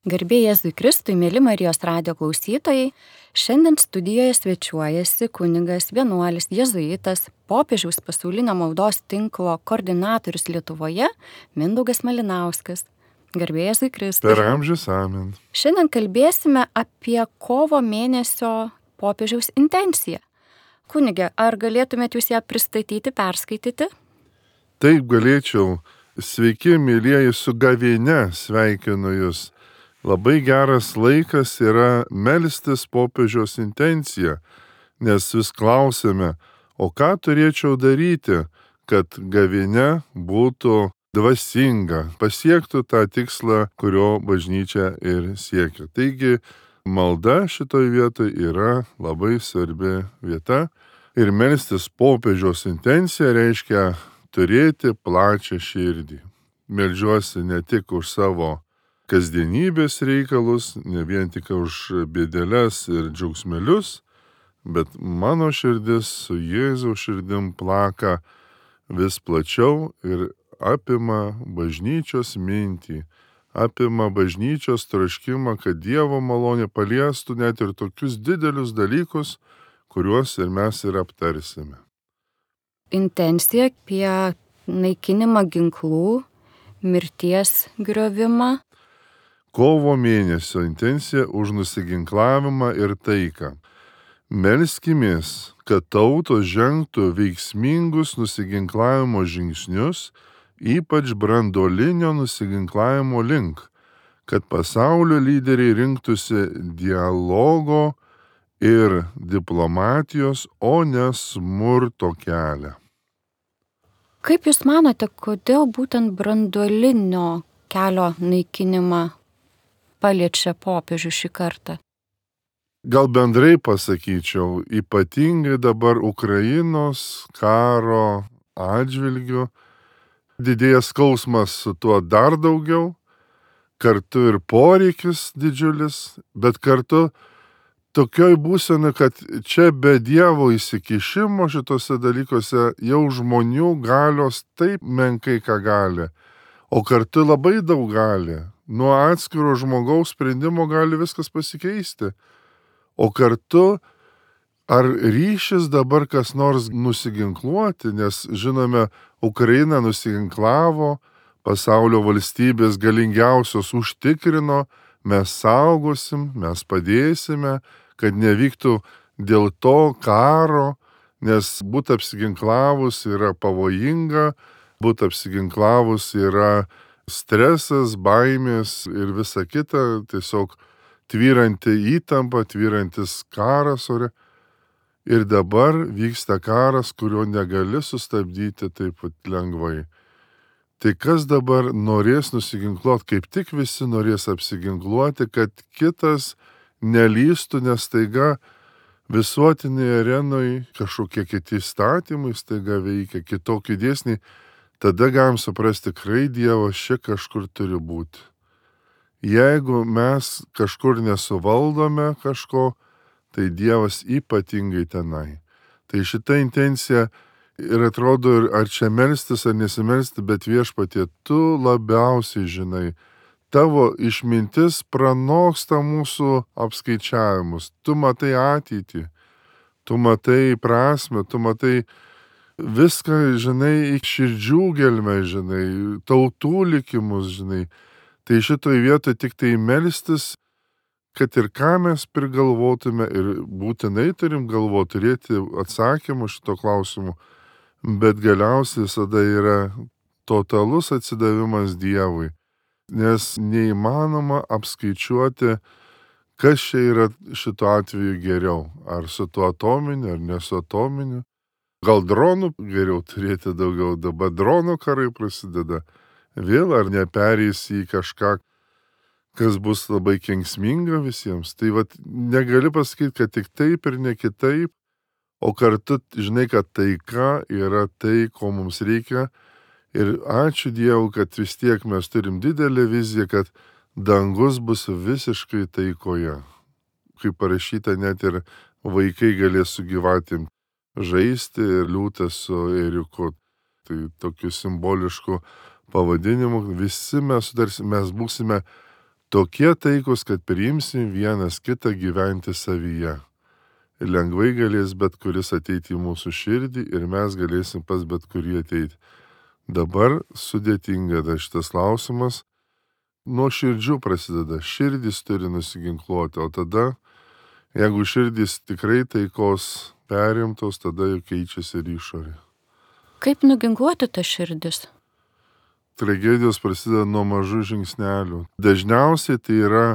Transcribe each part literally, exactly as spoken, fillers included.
Garbė Jėzui Kristui, mėly Marijos radijo klausytojai, šiandien studijoje svečiuojasi kunigas, vienuolis, jėzuitas, popiežiaus pasaulinio maldos tinklo koordinatorius Lietuvoje, Mindaugas Malinauskas. Garbė Jėzui Kristui. Per amžius amen. Šiandien kalbėsime apie kovo mėnesio popiežiaus intenciją. Kunige, ar galėtumėt jūs ją pristatyti, perskaityti? Taip galėčiau. Sveiki, mėlyjeji, su gavėnia sveikinu jūs. Labai geras laikas yra melstis popiežiaus intenciją, nes vis klausime, o ką turėčiau daryti, kad gavėnia būtų dvasinga, pasiektų tą tikslą, kurio bažnyčia ir siekia. Taigi, malda šitoj vietoj yra labai svarbi vieta ir melstis popiežiaus intenciją reiškia turėti plačią širdį. Meldžiuosi ne tik už savo kasdienybės reikalus, ne vien tik už bėdeles ir džiaugsmelius, bet mano širdis su Jėzaus širdim plaka vis plačiau ir apima bažnyčios mintį, apima bažnyčios troškimą, kad Dievo malonė paliestų net ir tokius didelius dalykus, kuriuos ir mes ir aptarsime. Intencija apie naikinimą ginklų, mirties griovimą. Kovo mėnesio intencija už nusiginklavimą ir taiką. Melskimės, kad tautos žengtų veiksmingus nusiginklavimo žingsnius, ypač branduolinio nusiginklavimo link, kad pasaulio lyderiai rinktųsi dialogo ir diplomatijos, o ne smurto kelią. Kaip jūs manote, kodėl būtent branduolinio kelio naikinimą paliečia popiežių šį kartą? Gal bendrai pasakyčiau, ypatingai dabar Ukrainos karo atžvilgiu didėja skausmas su tuo dar daugiau, kartu ir poreikis didžiulis, bet kartu tokioj būsenai, kad čia be Dievo įsikišimo šitose dalykuose jau žmonių galios taip menkai ką gali, o kartu labai daug gali. Nuo atskiro žmogaus sprendimo gali viskas pasikeisti. O kartu, ar ryšis dabar kas nors nusiginkluoti, nes žinome, Ukraina nusiginklavo, pasaulio valstybės galingiausios užtikrino, mes saugosim, mes padėsime, kad nevyktų dėl to karo, nes būt apsiginklavus yra pavojinga, būt apsiginklavus yra stresas, baimės ir visa kita, tiesiog tvyranti įtampa, tvyrantis karas ore. Ir dabar vyksta karas, kurio negali sustabdyti taip lengvai. Tai kas dabar norės nusiginkluoti, kaip tik visi norės apsiginkluoti, kad kitas nelystų, nes staiga visuotinėje arenoje kažkokie kiti įstatymai staiga veikia, kitokie dėsniai. Tada galim suprasti, tikrai Dievas čia kažkur turi būti. Jeigu mes kažkur nesuvaldome kažko, tai Dievas ypatingai tenai. Tai šita intencija ir atrodo, ar čia melstis ar nesimelstis, bet Viešpatie, tu labiausiai žinai. Tavo išmintis pranoksta mūsų apskaičiavimus. Tu matai ateitį, tu matai prasmę, tu matai viską, žinai, į širdžių gelmę, žinai, tautų likimus, žinai. Tai šitoj vietoj tik tai melstis, kad ir ką mes prigalvotume ir būtinai turim galvoti, turėti atsakymų šito klausimu, bet galiausiai visada yra totalus atsidavimas Dievui, nes neįmanoma apskaičiuoti, kas čia yra šituo atveju geriau, ar su tuo atominiu, ar ne su atominiu. Gal dronų geriau turėti daugiau, dabar dronų karai prasideda. Vėl ar neperės į kažką, kas bus labai kenksminga visiems. Tai vat negali pasakyti, kad tik taip ir ne kitaip, o kartu žinai, kad taika yra tai, ko mums reikia. Ir ačiū Dievui, kad vis tiek mes turim didelę viziją, kad dangus bus visiškai taikoje. Kaip parašyta, net ir vaikai galės su gyvatėm žaisti ir liūtas su ėriuku. Tai tokiu simbolišku pavadinimu visi mes sutarsim, mes būsime Tokie taikus, kad priimsim vienas kitą gyventi savyje. Ir lengvai galės bet kuris ateiti į mūsų širdį ir mes galėsim pas bet kurį ateiti. Dabar sudėtinga dar šitas klausimas. Nuo širdžių prasideda. Širdis turi nusiginkluoti, o tada, jeigu širdis tikrai taikos perimtos, tada jau keičiasi ir išorė. Kaip nuginkluoti tą širdis? Tragedijos prasideda nuo mažų žingsnelių. Dažniausiai tai yra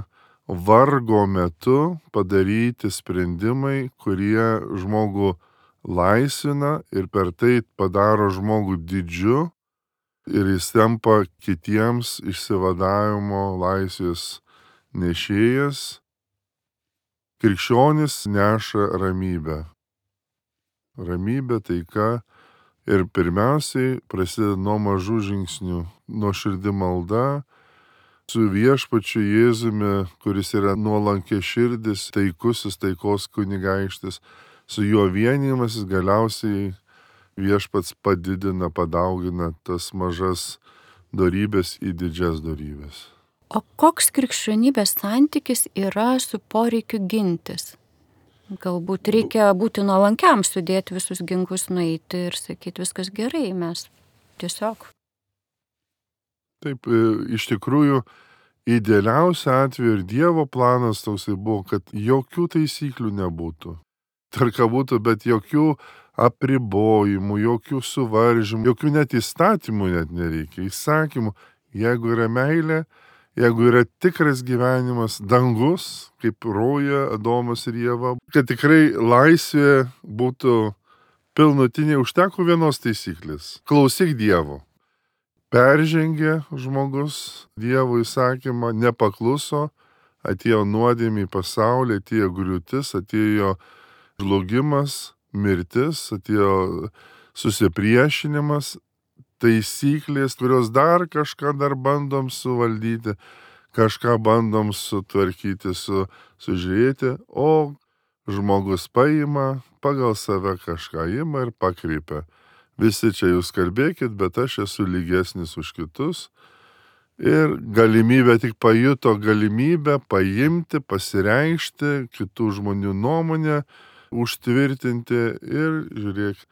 vargo metu padaryti sprendimai, kurie žmogų laisvina ir per tai padaro žmogų didžiu ir jis tampa kitiems išsivadavimo laisvės nešėjas. Krikščionis neša ramybę. Ramybė, taika ir pirmiausiai prasideda nuo mažų žingsnių, nuo širdi malda, su viešpačiu Jėzumi, kuris yra nuolankė širdis, taikusis taikos kunigaikštis, su juo vienijimasis galiausiai viešpats padidina, padaugina tas mažas dorybės į didžias dorybės. O koks krikščionybės santykis yra su poreikiu gintis? Galbūt reikia būti nuolankiam, sudėti visus ginklus, nueiti ir sakyti, viskas gerai, mes tiesiog. Taip, iš tikrųjų, idealiausia atveju ir Dievo planas toksai buvo, kad jokių taisyklių nebūtų. Tarka būtų, bet jokių apribojimų, jokių suvaržymų, jokių net įstatymų net nereikia, įsakymų. Jeigu yra meilė, jeigu yra tikras gyvenimas, dangus, kaip roja Adomas ir Ieva, kad tikrai laisvė būtų pilnutinė, užteko vienos taisyklės. Klausyk Dievo. Peržengė žmogus Dievo įsakymą, nepakluso, atėjo nuodėmė į pasaulį, atėjo griūtis, atėjo žlugimas, mirtis, atėjo susipriešinimas, taisyklės, kurios dar kažką dar bandom suvaldyti, kažką bandom sutvarkyti, su, sužiūrėti, o žmogus paima, pagal save kažką ima ir pakreipia. Visi čia jūs kalbėkit, bet aš esu lygesnis už kitus. Ir galimybę tik pajuto galimybę paimti, pasireikšti, kitų žmonių nuomonę, užtvirtinti ir žiūrėk.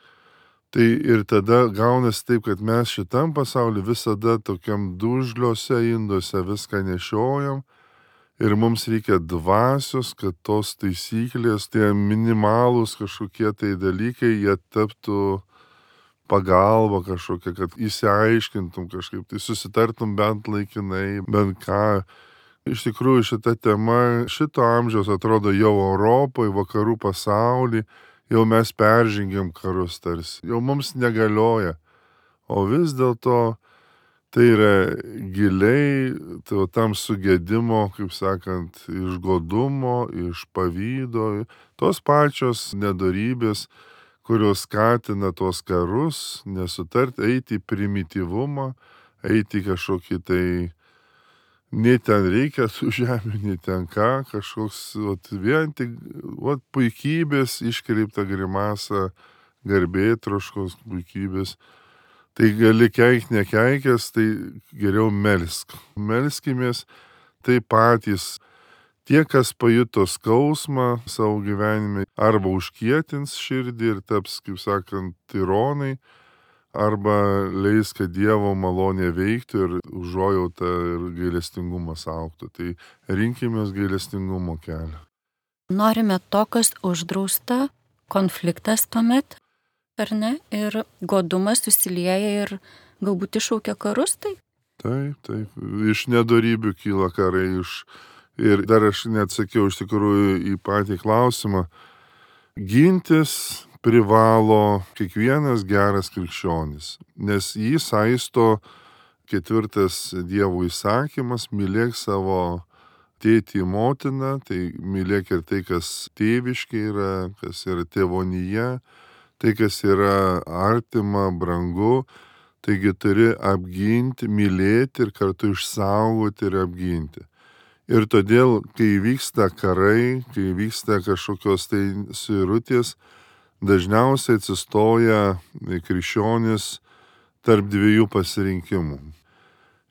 Tai ir tada gaunasi taip, kad mes šitam pasauliu visada tokiam dužliuose induose viską nešiojam ir mums reikia dvasios, kad tos taisyklės, tie minimalūs kažkokie tai dalykai, jie taptų pagalba kažkokia, kad įsiaiškintum kažkaip, tai susitartum bent laikinai, bent ką. Iš tikrųjų šita tema šito amžiaus atrodo jau Europoje, vakarų pasaulyje, jau mes peržengėm karus tarsi, jau mums negalioja. O vis dėlto tai yra giliai tai tam sugėdimo, kaip sakant, iš godumo, iš pavydo, tos pačios nedorybės, kurios skatina tuos karus, nesutart, eiti į primityvumą, eiti į kažkokį tai, nei ten reikia tų žemių, nei ten ką, kažkoks, ot, vien tik, ot, puikybės, iškreipta grimasa, garbėtroškos puikybės. Tai gali keik nekeikęs, tai geriau melsk. Melskimės, tai patys. Tie, kas pajuto skausmą savo gyvenime, arba užkietins širdį ir taps, kaip sakant, tironai, arba leis, kad Dievo malonė veiktų ir užuojauta ir gailestingumas augtų. Tai rinkimės gailestingumo kelią. Norime to, kas uždrausta, konfliktas tuomet, ar ne? Ir godumas susilieja ir galbūt iššaukia karus, tai? Taip, taip. Iš nedorybių kyla karai, iš... Ir dar aš neatsakiau iš tikrųjų į patį klausimą. Gintis privalo kiekvienas geras krikščionis, nes jį saisto ketvirtas Dievo įsakymas, mylėk savo tėtį motiną, tai mylėk ir tai, kas tėviškai yra, kas yra tėvonyje, tai, kas yra artima, brangu, taigi turi apginti, mylėti ir kartu išsaugoti ir apginti. Ir todėl, kai vyksta karai, kai vyksta kažkokios tai suirutės, dažniausiai atsistoja krikščionis tarp dviejų pasirinkimų.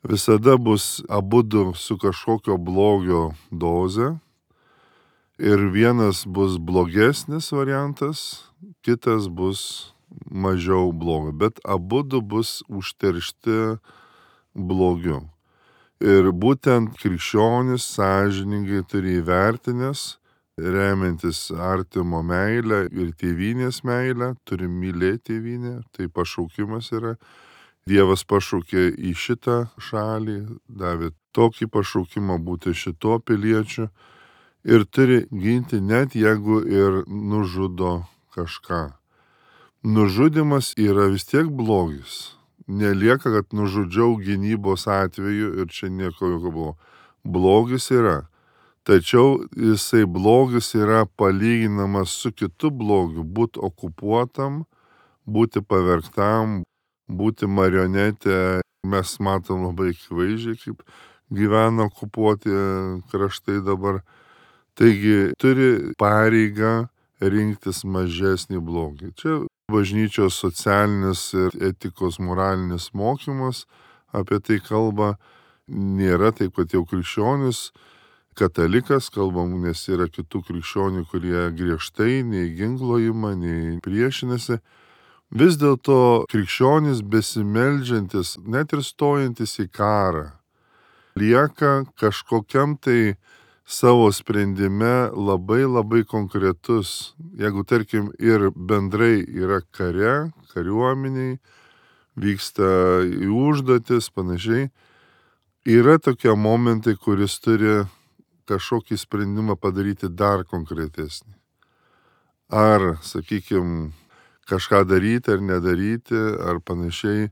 visada bus abudu su kažkokio blogio doze. Ir vienas bus blogesnis variantas, kitas bus mažiau blogo, bet abudu bus užteršti blogiu. Ir būtent krikščionis sąžiningai turi įvertinęs, remiantis artimo meilę ir tėvynės meilę, turi mylėti tėvynę, tai pašaukimas yra. Dievas pašaukė į šitą šalį, davė tokį pašaukimą būti šito piliečiu ir turi ginti net jeigu ir nužudo kažką. Nužudimas yra vis tiek blogis. Nelieka, kad nužudžiau gynybos atveju ir čia nieko jokio buvo. Blogis yra. Tačiau jisai blogis yra palyginamas su kitu blogiu. Būti okupuotam, būti pavergtam, būti marionetė. Mes matom labai akivaizdžiai, kaip gyvena okupuoti kraštai dabar. Taigi turi pareigą rinktis mažesnį blogį. Čia bažnyčios socialinis ir etikos moralinis mokymas apie tai kalba. Nėra taip, kad jau krikščionis, katalikas, kalbam, nes yra kitų krikščionių, kurie griežtai nei ginklo ima, nei priešinasi. Vis dėlto krikščionis besimeldžiantis, net ir stojantis į karą, lieka kažkokiam tai savo sprendime labai labai konkretus. Jeigu, tarkim, ir bendrai yra kare, kariuomeniai, vyksta į užduotis, panašiai, yra tokie momentai, kuris turi kažkokį sprendimą padaryti dar konkretesnį. Ar, sakykime, kažką daryti ar nedaryti, ar panašiai.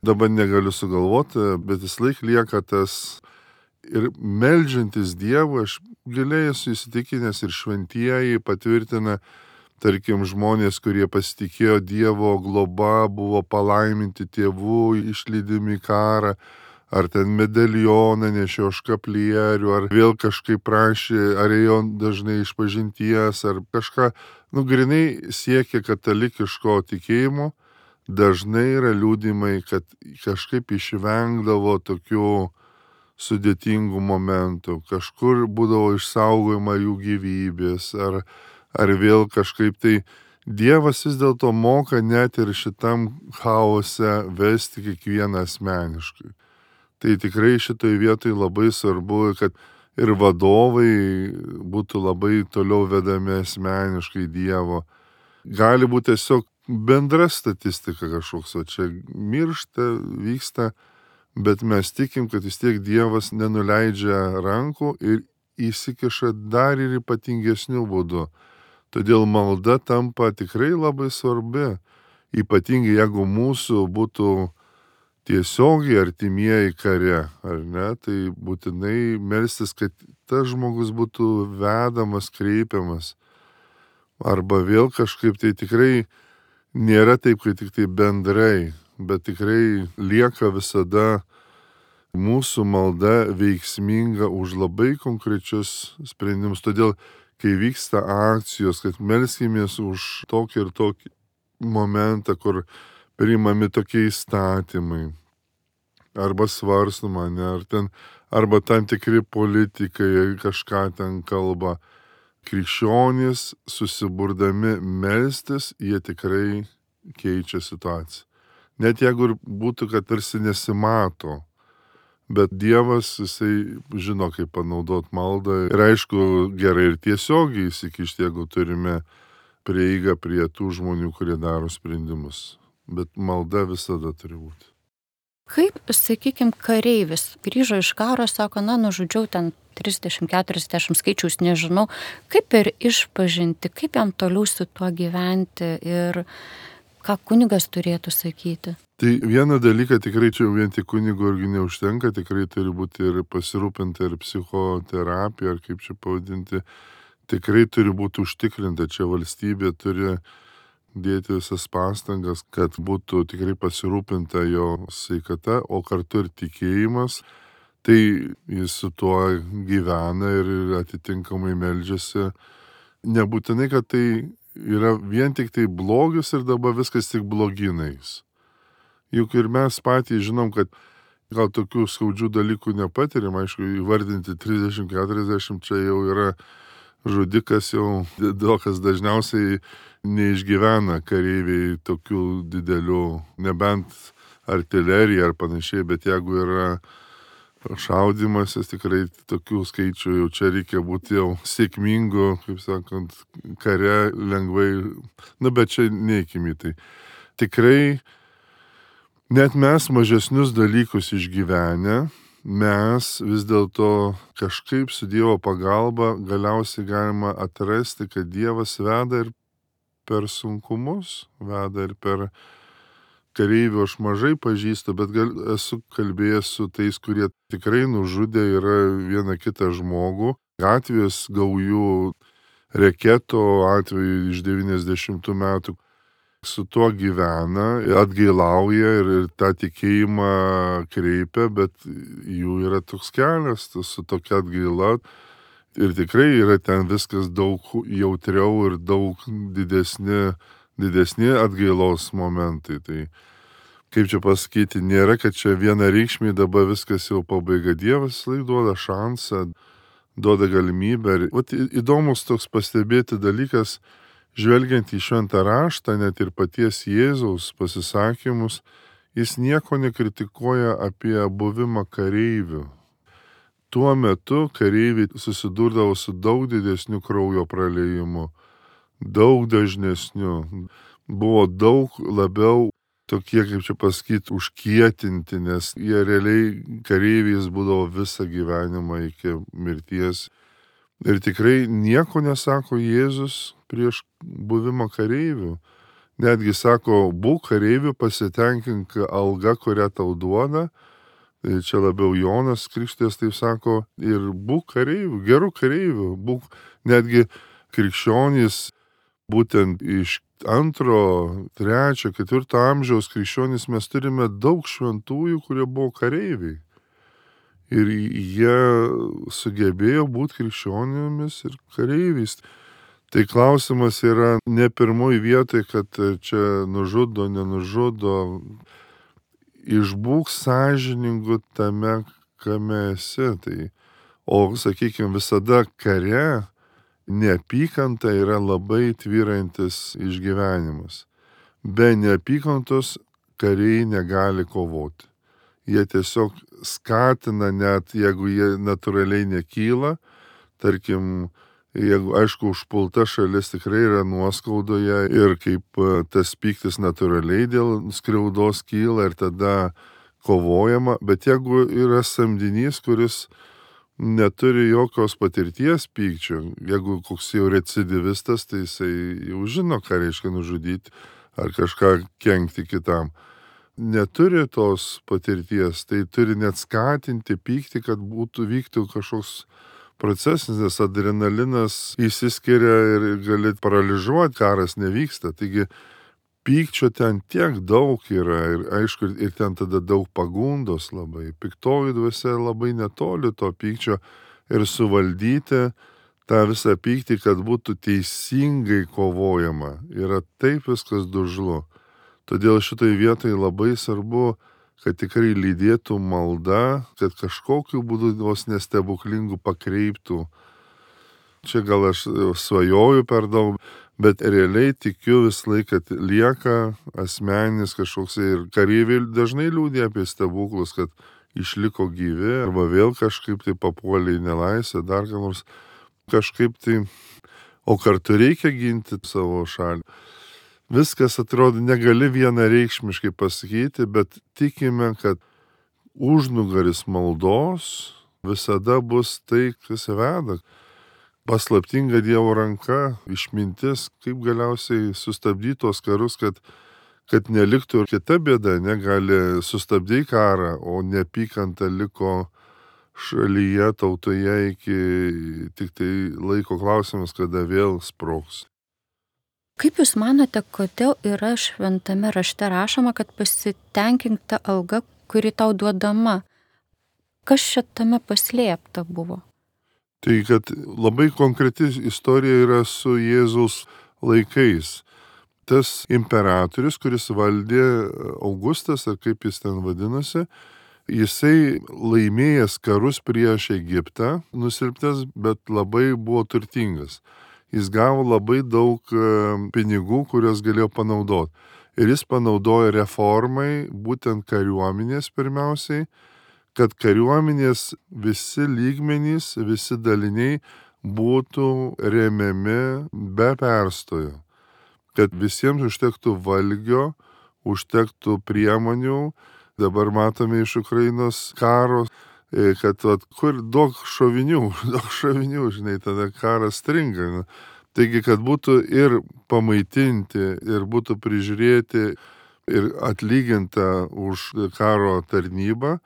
Dabar negaliu sugalvoti, bet vis laik lieka tas. Ir meldžiantis Dievą, aš giliai esu įsitikinęs ir šventieji patvirtina, tarkim, žmonės, kurie pasitikėjo Dievo globa, buvo palaiminti tėvų, išlydimi į karą, ar ten medalioną nešio škaplierių, ar vėl kažkaip prašė, ar ėjo dažnai išpažinties, ar kažką, nu, grinai siekia katalikiško tikėjimo, dažnai yra liudymai, kad kažkaip išvengdavo tokių sudėtingų momentų, kažkur būdavo išsaugojama jų gyvybės, ar, ar vėl kažkaip tai Dievas vis dėlto moka net ir šitam chaose vesti kiekvieną asmeniškai. Tai tikrai šitoj vietoj labai svarbu, kad ir vadovai būtų labai toliau vedami asmeniškai Dievo. Gali būti tiesiog bendra statistika kažkoks, o čia miršta, vyksta, bet mes tikim, kad vis tiek Dievas nenuleidžia rankų ir įsikiša dar ir ypatingesnių būdų. Todėl malda tampa tikrai labai svarbi, ypatingai jeigu mūsų būtų tiesiogiai artimieji kare, ar ne, tai būtinai melstis, kad tas žmogus būtų vedamas, kreipiamas. Arba vėl kažkaip tai tikrai nėra taip, kad tik tai bendrai, bet tikrai lieka visada mūsų malda veiksminga už labai konkrečius sprendimus. Todėl, kai vyksta akcijos, kad melskimės už tokį ir tokį momentą, kur priimami tokie įstatymai, arba svarstama, ne, ar ten, arba tam tikri politikai kažką ten kalba, krikščionys susiburdami melstis, jie tikrai keičia situaciją. Net jeigu ir būtų, kad tarsi nesimato, bet Dievas, jisai žino, kaip panaudot maldą. Ir aišku, gerai ir tiesiogiai įsikišti, jeigu turime prieigą prie tų žmonių, kurie daro sprendimus. Bet malda visada turi būti. Kaip, sakykime, kareivis grįžo iš karo, sako, na, nužudžiau ten trisdešimt keturiasdešimt skaičius, nežinau, kaip ir išpažinti, kaip jam toliau su tuo gyventi ir ką kunigas turėtų sakyti? Tai vieną dalyką tikrai čia vien tik kunigo irgi neužtenka, tikrai turi būti ir pasirūpinti ir psichoterapija, ar kaip čia pavadinti, tikrai turi būti užtikrinta, čia valstybė turi dėti visas pastangas, kad būtų tikrai pasirūpinta jo sveikata, o kartu ir tikėjimas, tai jis su tuo gyvena ir atitinkamai meldžiasi. Nebūtinai, kad tai yra vien tik tai blogis ir dabar viskas tik bloginais. Juk ir mes patys žinom, kad gal tokių skaudžių dalykų nepatiriam, aišku, įvardinti trisdešimt keturiasdešimt čia jau yra žudikas, jau daug kas dažniausiai neišgyvena kareiviai tokių didelių, nebent artilerija ar panašiai, bet jeigu yra šaudimasis, tikrai tokių skaičių jau čia reikia būti jau sėkmingu, kaip sakant, kare lengvai, nu bet čia neikime į tai. Tikrai net mes mažesnius dalykus išgyvenę, mes vis dėlto kažkaip su Dievo pagalba galiausiai galima atrasti, kad Dievas veda ir per sunkumus, veda ir per kareivių aš mažai pažįstu, bet gal, esu kalbėjęs su tais, kurie tikrai nužudė yra vieną kitą žmogų. Gatvės gaujų reketo atveju iš devyniasdešimtų metų su tuo gyvena, atgailauja ir, ir tą tikėjimą kreipia, bet jų yra toks kelias su tokia atgaila. Ir tikrai yra ten viskas daug jautriau ir daug didesni, didesni atgailos momentai. Tai kaip čia pasakyti, nėra, kad čia vienareikšmiai dabar viskas jau pabaiga. Dievas laik duoda šansą, duoda galimybę. Ir vat, įdomus toks pastebėti dalykas, žvelgiant į šventą raštą, net ir paties Jėzaus pasisakymus, jis nieko nekritikuoja apie buvimą kareivių. Tuo metu kareiviai susidurdavo su daug didesniu kraujo praleijimu, daug dažnesniu, buvo daug labiau tokie, kaip čia pasakyti, užkietinti, nes jie realiai kareiviais būdavo visą gyvenimą iki mirties. Ir tikrai nieko nesako Jėzus prieš buvimą kareivių. Netgi sako, būk kareivių, pasitenkink alga, kurią tau duoda. Tai čia labiau Jonas Krikštytojas taip sako, ir būk kareivių, gerų kareivių. Būk netgi krikščionys, būtent iš antro, trečio, ketvirto amžiaus krikščionys mes turime daug šventųjų, kurie buvo kareiviai. Ir jie sugebėjo būti krikščionimis ir kareiviais. Tai klausimas yra ne pirmoji vietoj, kad čia nužudo, nenužudo. Išbūk sąžiningu tame, kame esi. Tai, o, sakykime, visada kare neapykanta yra labai tvyrantis išgyvenimas. Be neapykantos kariai negali kovoti. Jie tiesiog skatina, net jeigu jie natūraliai nekyla, tarkim, jeigu, aišku, užpulta šalis tikrai yra nuoskaudoje ir kaip tas pyktis natūraliai dėl skriaudos kyla ir tada kovojama, bet jeigu yra samdinys, kuris neturi jokios patirties pykčio, jeigu koks jau recidivistas, tai jisai jau žino, ką reiškia nužudyti ar kažką kenkti kitam. Neturi tos patirties, tai turi net skatinti pykti, kad būtų vyktų kažkoks procesas, nes adrenalinas įsiskiria ir gali paralyžiuoti, karas nevyksta. Taigi pykčio ten tiek daug yra ir aišku, ir ten tada daug pagundos labai. Piktoji dvasia labai netoli to pykčio ir suvaldyti tą visą pyktį, kad būtų teisingai kovojama. Yra taip viskas dužlu. Todėl šitai vietai labai svarbu, kad tikrai lydėtų malda, kad kažkokiu būdu vos nestebuklingų pakreiptų. Čia gal aš svajoju per daug, bet realiai tikiu vis laik, kad lieka asmeninis kažkoks ir kareiviai dažnai liūdė apie stebuklus, kad išliko gyvi arba vėl kažkaip tai papuolė į nelaisvę, dar ką nors kažkaip tai, o kartu reikia ginti savo šalį. Viskas atrodo negali vienareikšmiškai pasakyti, bet tikime, kad užnugaris maldos visada bus tai, kas veda. Paslaptinga Dievo ranka, išmintis, kaip galiausiai sustabdyti tos karus, kad, kad neliktų ir kita bėda, negali sustabdyti karą, o neapykanta liko šalyje, tautoje iki tik tai laiko klausimas, kada vėl sprogs. Kaip Jūs manote, kodėl yra šventame rašte rašoma, kad pasitenkink ta alga, kuri tau duodama? Kas šitame paslėpta buvo? Tai kad labai konkreti istorija yra su Jėzaus laikais. Tas imperatorius, kuris valdė Augustas, ar kaip jis ten vadinosi, Jisai laimėjęs karus prieš Egiptą, nusilptęs, bet labai buvo turtingas. Jis gavo labai daug pinigų, kuriuos galėjo panaudoti. Ir jis panaudojo reformai, būtent kariuomenės pirmiausiai, kad kariuomenės visi lygmenys, visi daliniai būtų remiami be perstojo. Kad visiems užtektų valgio, užtektų priemonių. Dabar matome iš Ukrainos karo, kad vat, kur daug šovinių, daug šovinių, žinai, tada karas stringa. Taigi, kad būtų ir pamaitinti, ir būtų prižiūrėti, ir atlyginta už karo tarnybą,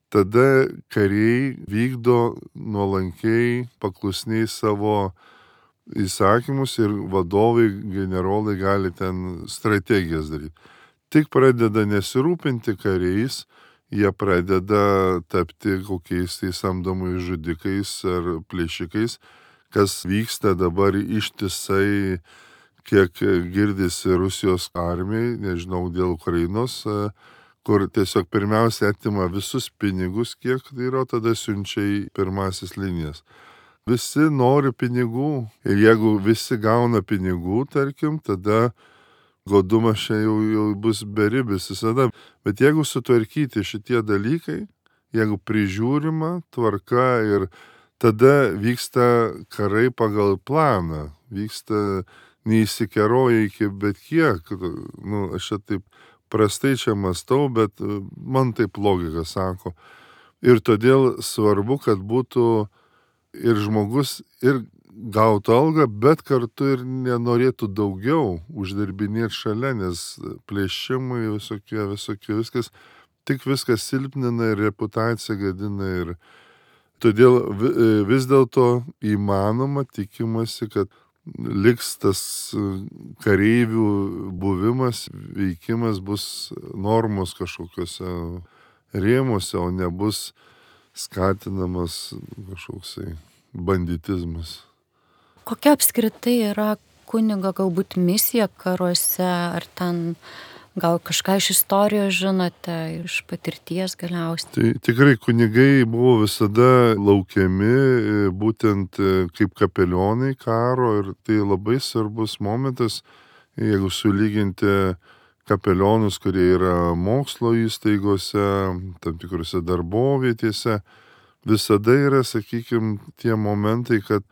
tada kariai vykdo nuolankiai, paklusniai savo įsakymus ir vadovai, generolai gali ten strategijas daryti. Tik pradeda nesirūpinti kariais, jie pradeda tapti kokiais tai samdomais žudikais ar plėšikais, kas vyksta dabar ištisai, kiek girdisi Rusijos armijai, nežinau, dėl Ukrainos, kur tiesiog pirmiausia atima visus pinigus, kiek tai yra, tada siunčia į pirmasis linijas. Visi nori pinigų ir jeigu visi gauna pinigų, tarkim, tada godumas čia jau, jau bus beribis visada. Bet jeigu sutvarkyti šitie dalykai, jeigu prižiūrima tvarka ir tada vyksta karai pagal planą, vyksta neįsikeroja iki bet kiek, nu, aš čia taip prastai čia mąstau, bet man taip logika sako. Ir todėl svarbu, kad būtų ir žmogus ir gautų algą, bet kartu ir nenorėtų daugiau uždirbinėti šalia, nes plėšimai visokie, visokie, viskas, tik viskas silpnina ir reputaciją gadina. Ir todėl vis dėlto įmanoma, tikimasi, kad liks tas kareivių buvimas, veikimas bus normos kažkokiuose rėmuose, o nebus skatinamas kažkoksai banditizmas. Kokia apskritai yra kunigo galbūt misija karuose, ar ten gal kažką iš istorijos žinote, iš patirties galiausiai? Tai tikrai kunigai buvo visada laukiami būtent kaip kapelionai karo ir tai labai svarbus momentas, jeigu sulyginti kapelionus, kurie yra mokslo įstaigose, tam tikrose darbovietėse, visada yra, sakykime, tie momentai, kad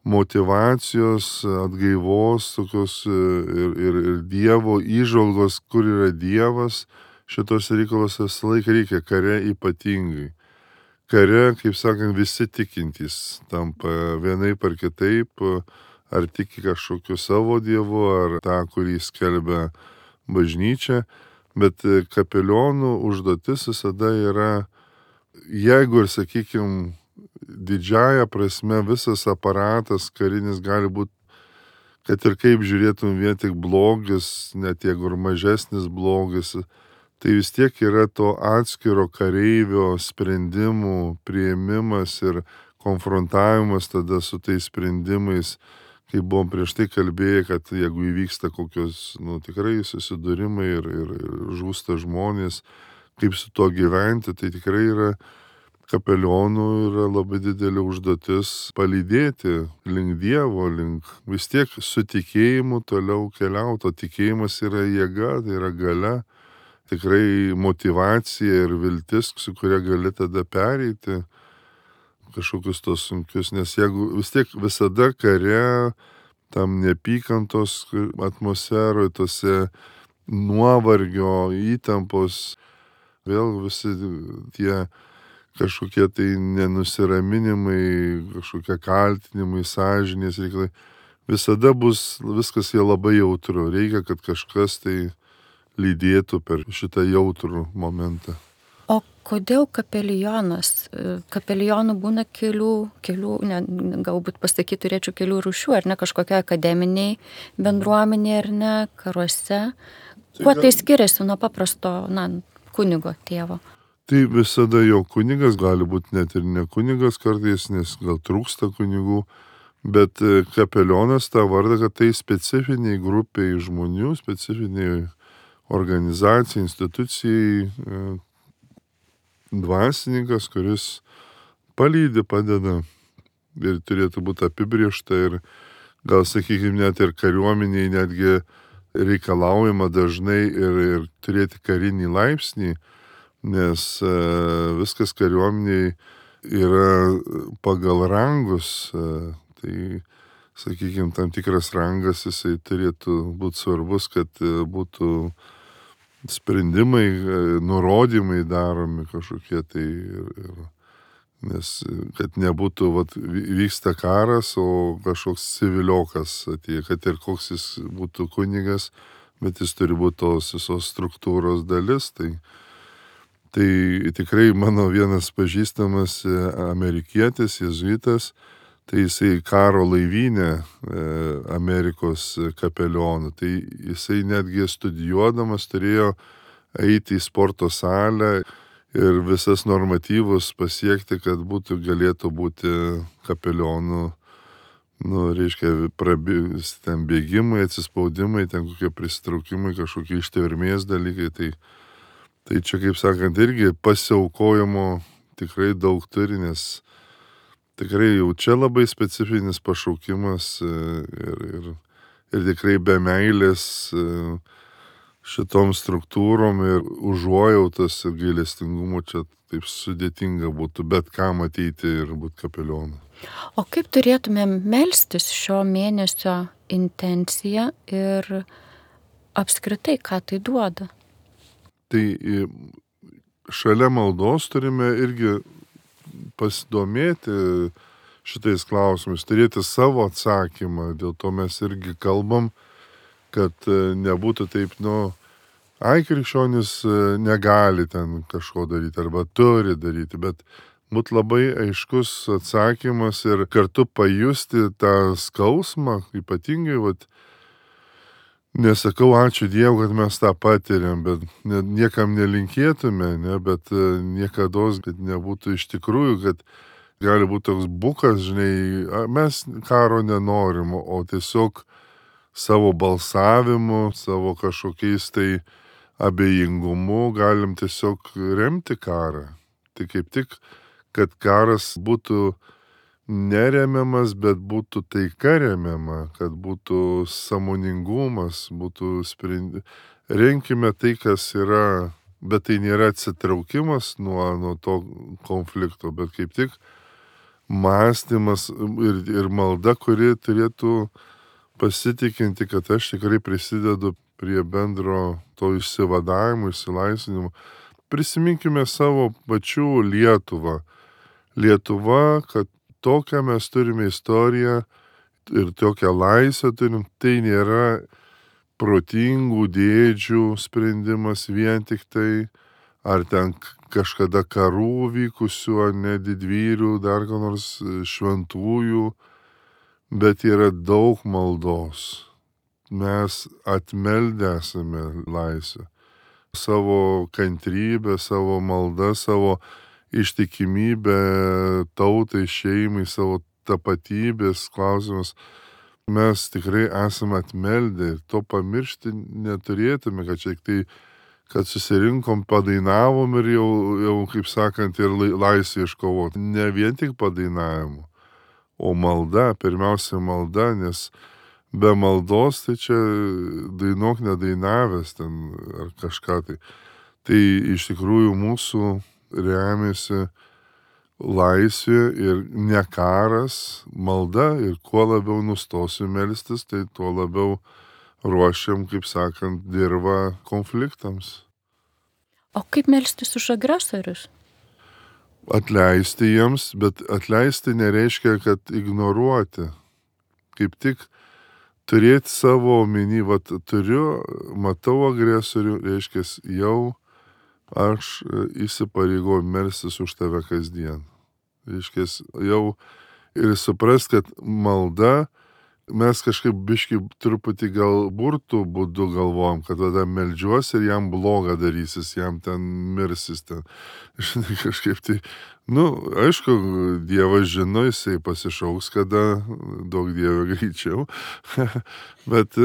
motyvacijos, atgaivos, tokios ir, ir, ir Dievo įžvalgos, kur yra Dievas, šitos reikalos visą laiką reikia, kare ypatingai. Kare, kaip sakant, visi tikintys tampa vienaip ar kitaip, ar tiki kažkokiu savo Dievu, ar tą, kurį skelbia bažnyčia, bet kapelionų užduotis visada yra, jeigu ir, sakykime, didžiaja prasme visas aparatas karinis gali būti, kad ir kaip žiūrėtum vien tik blogis, net jeigu ir mažesnis blogis, tai vis tiek yra to atskiro kareivio sprendimų priėmimas ir konfrontavimas tada su tais sprendimais, kaip buvom prieš tai kalbėję, kad jeigu įvyksta kokios, nu, tikrai susidūrimai ir, ir, ir žūsta žmonės, kaip su to gyventi, tai tikrai yra kapelionų yra labai didelė užduotis palydėti link Dievo, link vis tiek su tikėjimu toliau keliauti, o tikėjimas yra jėga, tai yra galia, tikrai motyvacija ir viltis, su kuria gali tada pereiti kažkokius tos sunkius, nes jeigu vis tiek visada kare, tam neapykantos atmosferoje, tose nuovargio, įtampos, vėl visi tie kažkokie tai nenusiraminimai, kažkokie kaltinimai, sąžinės reikalai. Visada bus viskas jie labai jautru. Reikia, kad kažkas tai lydėtų per šitą jautrų momentą. O kodėl kapelionas? Kapelionų būna kelių, kelių ne, galbūt pasakyti turėčiau kelių rūšių, ar ne, kažkokia akademiniai bendruomenė, ar ne, karuose. Kuo tai skiriasi nuo paprasto, na, kunigo tėvo? Tai visada jo kunigas, gali būti net ir ne kunigas kartais, nes gal trūksta kunigų, bet kapelionas tą vardą, kad tai specifiniai grupiai žmonių, specifiniai organizacijai, institucijai dvasininkas, kuris palydi, padeda ir turėtų būti apibriešta ir gal, sakykime, net ir kariuomeniai netgi reikalaujama dažnai ir, ir turėti karinį laipsnį, nes e, viskas kariuomeniai yra pagal rangus, e, tai, sakykime, tam tikras rangas jisai turėtų būti svarbus, kad e, būtų sprendimai, e, nurodymai daromi kažkokie tai ir, ir nes kad nebūtų, vat, vyksta karas, o kažkoks civiliokas atėjo, kad ir koks jis būtų kunigas, bet jis turi būti tos visos struktūros dalis. Tai, tai tikrai mano vienas pažįstamas amerikietis, jėzuitas, tai jisai karo laivynė Amerikos kapelionų. Tai jisai netgi studijuodamas turėjo eiti į sporto salę ir visas normatyvus pasiekti, kad būtų, galėtų būti kapelionų, nu, reiškia, prabėgs, ten bėgimai, atsispaudimai, ten kokie prisitraukimai, kažkokie ištvermės dalykai. Tai, tai čia, kaip sakant, irgi pasiaukojimo tikrai daug turi, nes tikrai jau čia labai specifinis pašaukimas ir, ir, ir tikrai be meilės šitom struktūrom ir užuojautos ir gailestingumo čia taip sudėtinga būtų bet kam ateiti ir būti kapelionu. O kaip turėtumėm melstis šio mėnesio intenciją ir apskritai, ką tai duoda? Tai šalia maldos turime irgi pasidomėti šitais klausimais, turėti savo atsakymą, dėl to mes irgi kalbam, kad nebūtų taip, nu, ai, krikščionis negali ten kažko daryti arba turi daryti, bet būtų labai aiškus atsakymas ir kartu pajusti tą skausmą, ypatingai, vat, nesakau ačiū Dievui, kad mes tą patiriam, bet niekam nelinkėtume, ne, bet niekados, kad nebūtų iš tikrųjų, kad gali būti toks bukas, žinai, mes karo nenorim, o tiesiog savo balsavimu, savo kažkokiais tai abejingumu galim tiesiog remti karą. Tai kaip tik, kad karas būtų neremiamas, bet būtų taika remiama, kad būtų sąmoningumas, būtų sprendimas. Renkime tai, kas yra, bet tai nėra atsitraukimas nuo, nuo to konflikto, bet kaip tik mąstymas ir, ir malda, kuri turėtų pasitikinti, kad aš tikrai prisidedu prie bendro to išsivadavimo, išsilaisvinimo. Prisiminkime savo pačių Lietuvą. Lietuva, kad tokią mes turime istoriją ir tokią laisvę turim, tai nėra protingų dėdžių sprendimas vien tik tai, ar ten kažkada karų vykusių, ar ne didvyrių, dar ko nors šventųjų, bet yra daug maldos. Mes atmeldę esame laisvę. Savo kantrybę, savo maldą, savo ištikimybę tautai, šeimai, savo tapatybės klausimus. Mes tikrai esame atmeldę ir to pamiršti neturėtume, kad čia tai, kad susirinkom, padainavom ir jau, jau kaip sakant, ir laisvę iškovot. Ne vien tik padainavimu, o malda, pirmiausia malda, nes be maldos tai čia dainuok nedainavęs ten ar kažką tai. Tai iš tikrųjų mūsų remiasi laisvė ir ne karas, malda, ir kuo labiau nustosiu melstis, tai tuo labiau ruošiam, kaip sakant, dirvą konfliktams. O kaip melstis už agresorius? Atleisti jiems, bet atleisti nereiškia, kad ignoruoti. Kaip tik turėti savo omeny, vat turiu, matau agresorių, reiškia, jau aš įsipareigoju melstis už tave kasdien. Reiškia, jau ir suprast, kad malda, mes kažkaip biškai truputį gal burtų būdu galvojam, kad tada meldžiuosi ir jam blogą darysis, jam ten mirsis ten. Žinai, kažkaip tai, nu, aišku, Dievas žino, jisai pasišauks, kada daug Dievo greičiau, bet,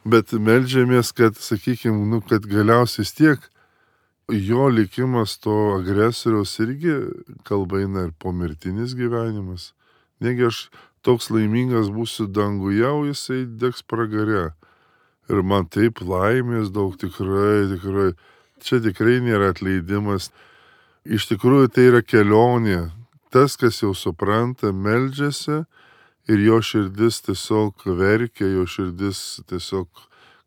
bet meldžiamės, kad, sakykime, nu, kad galiausiai tiek jo likimas to agresoriaus irgi kalba eina ir pomirtinis gyvenimas. Negi aš toks laimingas būsiu danguje, o jisai degs pragare. Ir man taip laimės daug, tikrai, tikrai. Čia tikrai nėra atleidimas. Iš tikrųjų tai yra kelionė. Tas, kas jau supranta, meldžiasi ir jo širdis tiesiog verkia, jo širdis tiesiog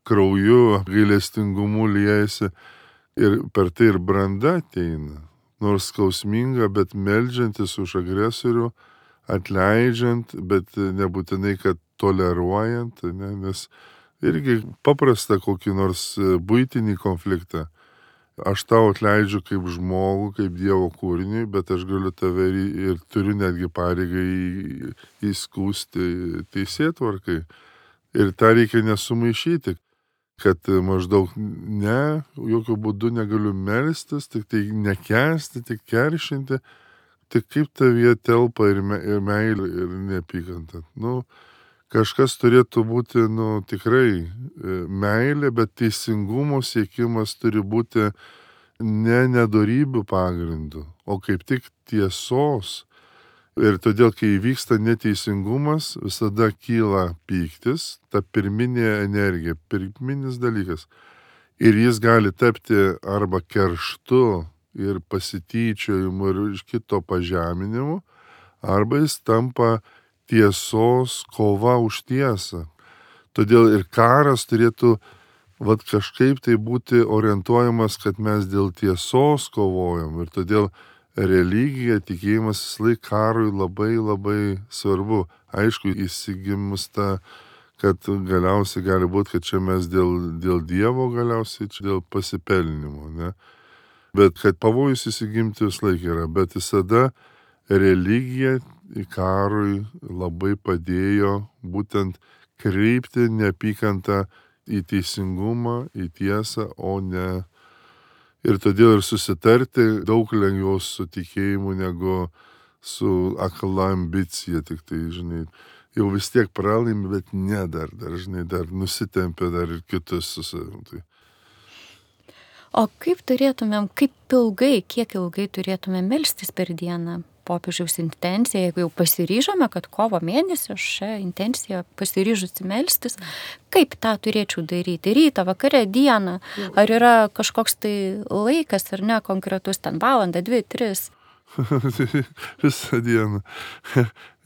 krauju, gailestingumu liejasi. Ir per tai ir branda ateina. Nors skausminga, bet meldžiantis už agresorių, atleidžiant, bet nebūtinai, kad toleruojant, ne, nes irgi paprasta kokį nors buitinį konfliktą. Aš tau atleidžiu kaip žmogų, kaip Dievo kūriniui, bet aš galiu tave ir, ir turiu netgi pareigą į, įskūsti teisėtvarkai. Ir tą reikia nesumaišyti, kad maždaug ne, jokių būdų negaliu melstis, tik tai nekęsti, tik keršinti. Tai kaip tavyje telpa ir, me, ir meilė, ir neapykanta. Nu, kažkas turėtų būti, nu, tikrai meilė, bet teisingumo siekimas turi būti ne nedorybių pagrindų, o kaip tik tiesos. Ir todėl, kai įvyksta neteisingumas, visada kyla pyktis, ta pirminė energija, pirminis dalykas. Ir jis gali tapti arba kerštu ir pasityčiojimu ir iš kito pažeminimu, arba jis tampa tiesos kova už tiesą. Todėl ir karas turėtų vat, kažkaip tai būti orientuojamas, kad mes dėl tiesos kovojam. Ir todėl religija, tikėjimas vislaik karui labai labai svarbu. Aišku, įsigimus tą, kad galiausiai gali būti, kad čia mes dėl, dėl Dievo galiausiai, čia dėl pasipelnimo. Ne? Bet kad pavojus įsigimti vislaik yra, bet visada religija karui labai padėjo būtent kreipti neapykantą į teisingumą, į tiesą, o ne. Ir todėl ir susitarti daug lengviau su tikėjimu negu su akla ambicija, tik tai, žinai, jau vis tiek pralaimi, bet ne dar, dar, žinai, dar nusitempia dar ir kitus su savim. Tai. O kaip turėtumėm, kaip ilgai, kiek ilgai turėtumėm melstis per dieną? Popiežiaus intencija, jeigu jau pasiryžome, kad kovo mėnesį šią intenciją pasiryžusi melstis, kaip tą turėčiau daryti? Rytą, vakare, dieną? Ar yra kažkoks tai laikas, ar ne, konkretus ten valandą, dvi, tris? Visą dieną.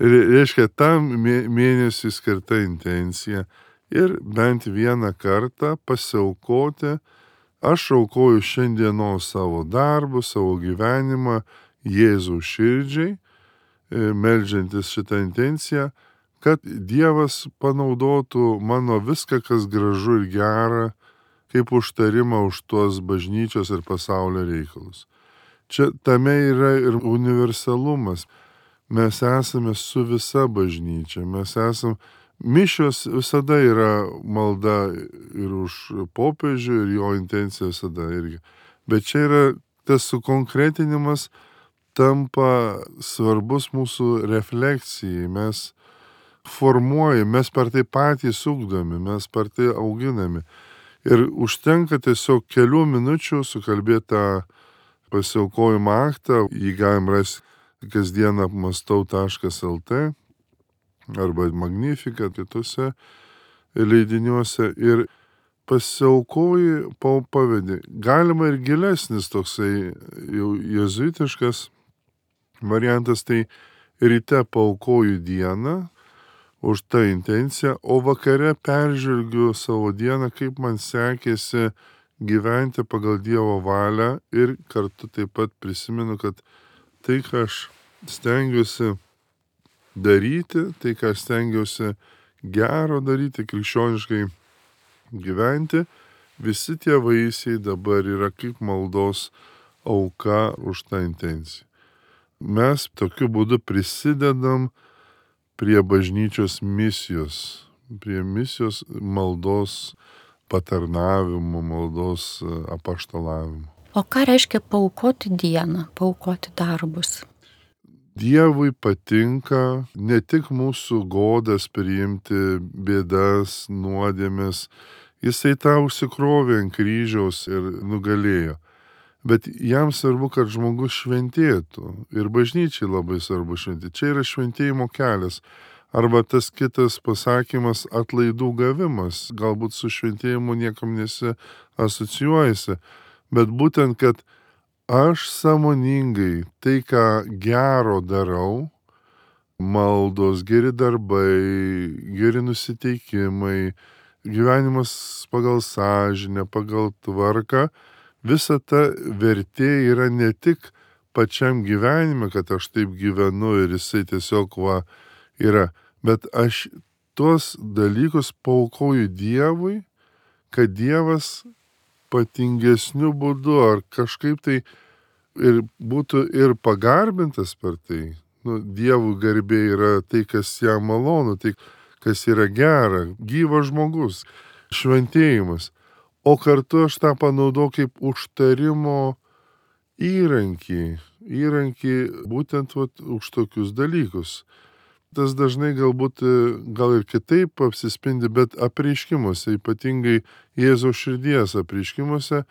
Reiškia, tam mėnesiui skirta intencija ir bent vieną kartą pasiaukoti. Aš aukoju šiandienos savo darbus, savo gyvenimą, Jėzaus širdžiai, meldžiantis šitą intenciją, kad Dievas panaudotų mano viską, kas gražu ir gera, kaip užtarimą už tuos bažnyčios ir pasaulio reikalus. Čia tame yra ir universalumas. Mes esame su visa bažnyčia, mes esame, mišios visada yra malda ir už popiežių, ir jo intencija visada irgi. Bet čia yra tas sukonkretinimas, tampa svarbus mūsų refleksijai, mes formuojame, mes per tai patys ugdomi, mes per tai auginami. Ir užtenka tiesiog kelių minučių sukalbėti tą pasiaukojimo aktą, jį galim rasti kasdieną apmastau taškas lt arba Magnificat kitose leidiniuose ir pasiaukoji, pavedi. Galima ir gilesnis toksai jau jezuitiškas variantas, tai ryte paaukoju dieną už tą intenciją, o vakare peržvelgiu savo dieną, kaip man sekėsi gyventi pagal Dievo valią ir kartu taip pat prisimenu, kad tai, ką aš stengiuosi daryti, tai, ką aš stengiuosi gero daryti, krikščioniškai gyventi, visi tie vaisiai dabar yra kaip maldos auka už tą intenciją. Mes tokiu būdu prisidedam prie bažnyčios misijos, prie misijos maldos patarnavimo, maldos apaštalavimo. O ką reiškia paaukoti dieną, paaukoti darbus? Dievui patinka ne tik mūsų godas priimti bėdas, nuodėmes, jisai tą užsikrovė ant kryžiaus ir nugalėjo. bet jam svarbu, kad žmogus šventėtų. Ir bažnyčiai labai svarbu šventėti. Čia yra šventėjimo kelias. Arba tas kitas pasakymas atlaidų gavimas. Galbūt su šventėjimu niekam nesi asocijuojasi. Bet būtent, kad aš sąmoningai tai, ką gero darau, maldos, geri darbai, geri nusiteikimai, gyvenimas pagal sąžinę, pagal tvarką, visa ta vertė yra ne tik pačiam gyvenime, kad aš taip gyvenu ir jisai tiesiog va yra, bet aš tuos dalykus paaukoju Dievui, kad Dievas patingesniu būdu ar kažkaip tai ir būtų ir pagarbintas per tai. Nu, Dievų garbė yra tai, kas jam malonu, tai, kas yra gera, gyvas žmogus, šventėjimas. O kartu aš tą panaudau kaip užtarimo įrankį, įrankį būtent vat, už tokius dalykus. Tas dažnai galbūt gal ir kitaip apsispindi, bet apreiškimuose, ypatingai Jėzaus širdies apreiškimuose,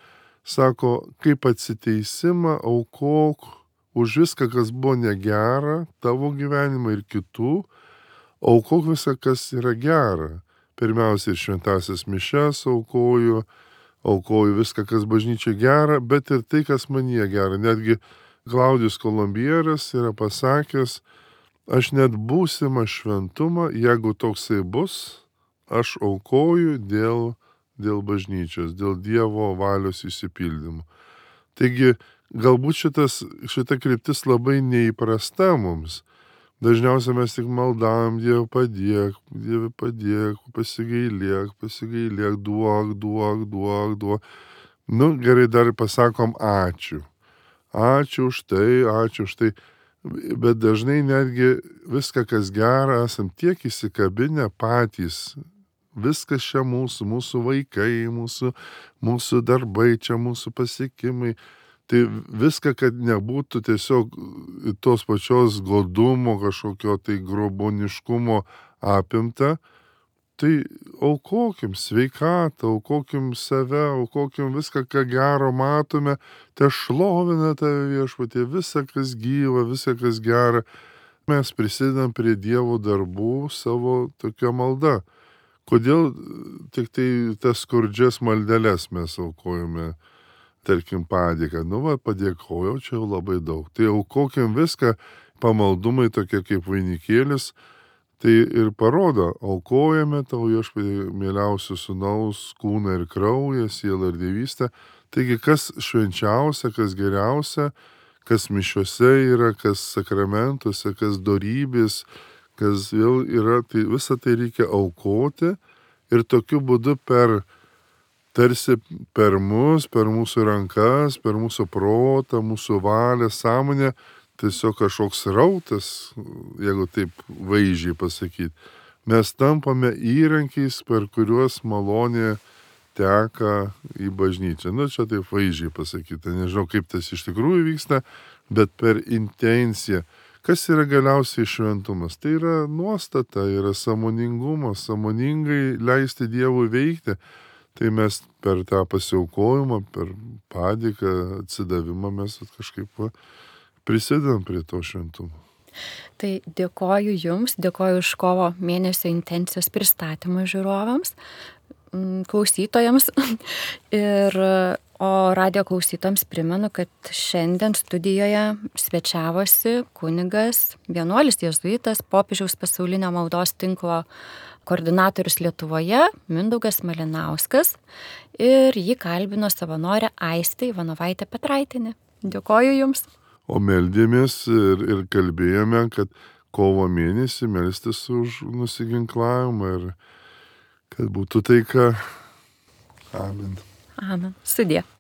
sako, kaip atsiteisimą aukok už viską, kas buvo negera, tavo gyvenimą ir kitų, aukok viską, kas yra gera. Pirmiausia, ir šventasias mišes aukoju, aukoju viską, kas bažnyčiai gera, bet ir tai, kas manyje gera. Netgi Klaudijus Kolumbieras yra pasakęs, aš net būsimą šventumą, jeigu toksai bus, aš aukoju dėl, dėl bažnyčios, dėl Dievo valios išsipildymų. Taigi, galbūt šitas, šita kryptis labai neįprasta mums. Dažniausiai mes tik maldavom, Dieve padėk, Dieve padėk, pasigailėk, pasigailėk, duok, duok, duok, duok. Nu, gerai, dar pasakom ačiū. Ačiū už tai, ačiū už tai. Bet dažnai netgi viską, kas gera, esam tiek įsikabinę patys. Viskas čia mūsų, mūsų vaikai, mūsų, mūsų darbai, čia mūsų pasiekimai. Tai viską, kad nebūtų tiesiog tos pačios godumo, kažkokio tai groboniškumo apimta, tai aukokim sveikatą, aukokim save, aukokim viską, ką gero matome, te šlovina tave Viešpatie, visą, kas gyva, visą, kas gera. Mes prisidedam prie Dievo darbų savo tokia malda. Kodėl tik tai tas skurdžias maldeles mes aukojame? Tarkim, padėką. Nu, va, padėkojau, čia jau labai daug. Tai aukokim viską, pamaldumai tokie kaip vainikėlis, tai ir parodo, aukojame tau Viešpatie mieliausių sūnaus kūną ir kraują, sielą ir dievystę. Taigi, kas švenčiausia, kas geriausia, kas mišiuose yra, kas sakramentuose, kas dorybės, kas vėl yra, tai visą tai reikia aukoti ir tokiu būdu per tarsi per mus, per mūsų rankas, per mūsų protą, mūsų valią, sąmonę, tiesiog kažkoks rautas, jeigu taip vaizdžiai pasakyti. Mes tampame įrankiais, per kuriuos malonė teka į bažnyčią. Nu, čia taip vaizdžiai pasakyti. Nežinau, kaip tas iš tikrųjų vyksta, bet per intenciją. Kas yra galiausiai šventumas? Tai yra nuostata, yra sąmoningumas, sąmoningai leisti Dievui veikti. Tai mes per tą pasiaukojimą, per padėką, atsidavimą mes kažkaip prisidedam prie to šventumo. Tai dėkoju Jums, dėkoju už kovo mėnesio intencijos pristatymą žiūrovams, klausytojams. Ir, o radijo klausytojams primenu, kad šiandien studijoje svečiavosi kunigas, vienuolis jėzuitas, popiežiaus pasaulinio maldos tinklo koordinatorius Lietuvoje, Mindaugas Malinauskas, ir jį kalbino savanorė Aistė Ivanovaitė Petraitienė. Dėkoju Jums. O meldėmės ir, ir kalbėjome, kad kovo mėnesį melstis už nusiginklavimą ir kad būtų taika. Amen. Amen. Sudie.